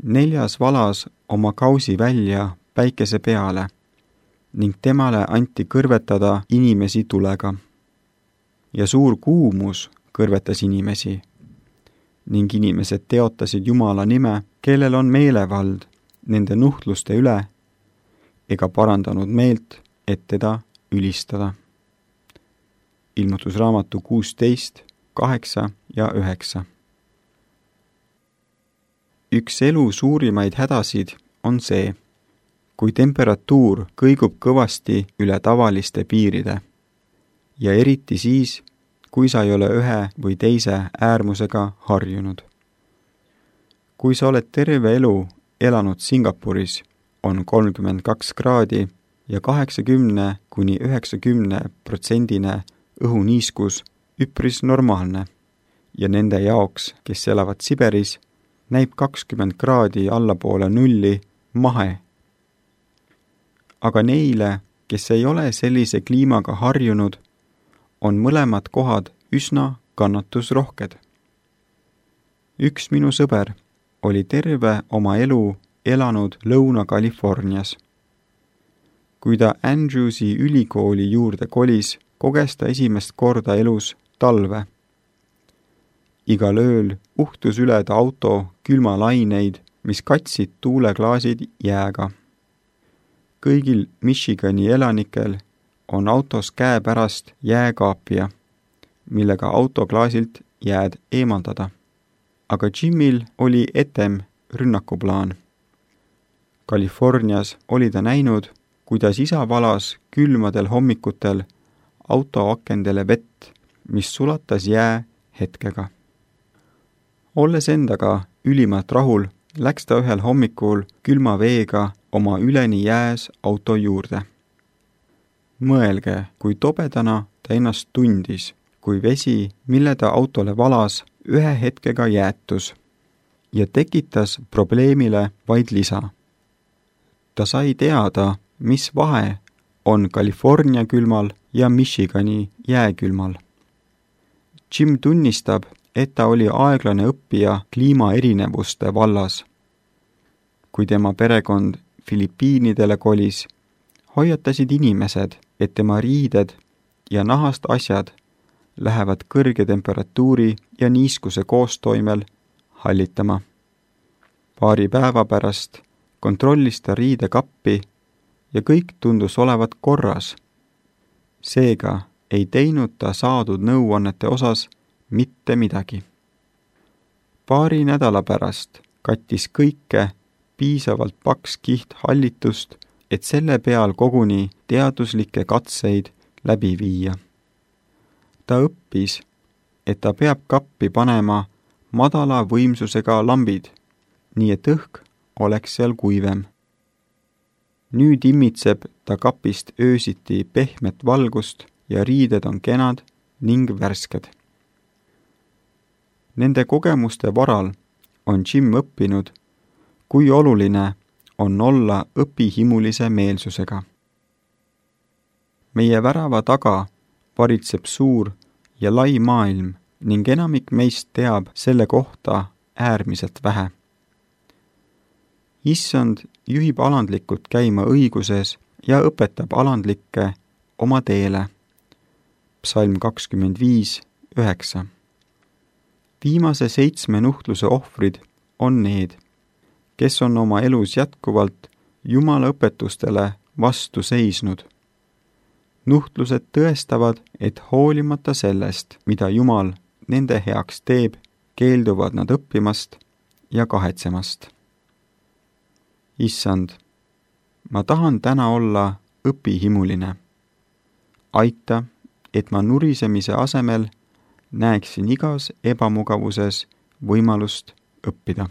4. valas oma kausi välja päikese peale ning temale anti kõrvetada inimesi tulega. Ja suur kuumus kõrvetas inimesi ning inimesed teotasid Jumala nime, kellel on meelevald nende nuhtluste üle, ega parandanud meelt, et teda ülistada. Ilmutusraamatu 16, 8 ja 9. Üks elu suurimaid hädasid on see, kui temperatuur kõigub kõvasti üle tavaliste piiride ja eriti siis, kui sa ei ole ühe või teise äärmusega harjunud. Kui sa oled terve elu elanud Singapuris, on 32 kraadi ja 80–90% õhuniiskus üpris normaalne ja nende jaoks, kes elavad Siberis, näib 20 kraadi allapoole nulli mahe. Aga neile, kes ei ole sellise kliimaga harjunud, on mõlemad kohad üsna kannatusrohked. Üks minu sõber oli terve oma elu elanud Lõuna-Californias. Kui ta Andrewsi ülikooli juurde kolis, koges ta esimest korda elus talve. Igal ööl uhtus üle ta auto külmalaineid, mis katsid tuuleklaasid jääga. Kõigil Michigani elanikel on autos käepärast jääkaapia, millega autoklaasilt jääd eemaldada. Aga Jimil oli etem rünnakuplaan. Californias oli ta näinud, kuidas isa valas külmadel hommikutel auto akendele vett, mis sulatas jää hetkega. Olles endaga ülimalt rahul, läks ta ühel hommikul külma veega oma üleni jääs auto juurde. Mõelge, kui tobedana ta ennast tundis, kui vesi, mille ta autole valas, ühe hetkega jäätus ja tekitas probleemile vaid lisa. Ta sai teada, mis vahe on California külmal ja Michigani jääkülmal. Jim tunnistab, et ta oli aeglane õppija kliimaerinevuste vallas. Kui tema perekond Filipiinidele kolis, hoiatasid inimesed, et tema riided ja nahast asjad lähevad kõrge temperatuuri ja niiskuse koostoimel hallitama. Paari päeva pärast kontrollis ta riidekappi ja kõik tundus olevat korras. Seega ei teinud ta saadud nõuannete osas mitte midagi. Paari nädala pärast kattis kõike piisavalt paks kiht hallitust, et selle peal koguni teaduslikke katseid läbi viia. Ta õppis, et ta peab kappi panema madala võimsusega lambid, nii et õhk oleks seal kuivem. Nüüd immitseb ta kapist öösiti pehmet valgust ja riided on kenad ning värsked. Nende kogemuste varal on Jim õppinud, kui oluline on olla õpihimulise meelsusega. Meie värava taga varitseb suur ja lai maailm ning enamik meist teab selle kohta äärmiselt vähe. Issand juhib alandlikult käima õiguses ja õpetab alandlikke oma teele. Psalm 25, 9. Viimase 7 nuhtluse ohvrid on need, kes on oma elus jätkuvalt Jumala õpetustele vastu seisnud. Nuhtlused tõestavad, et hoolimata sellest, mida Jumal nende heaks teeb, keelduvad nad õppimast ja kahetsemast. Issand, ma tahan täna olla õpihimuline. Aita, et ma nurisemise asemel näeksin igas ebamugavuses võimalust õppida.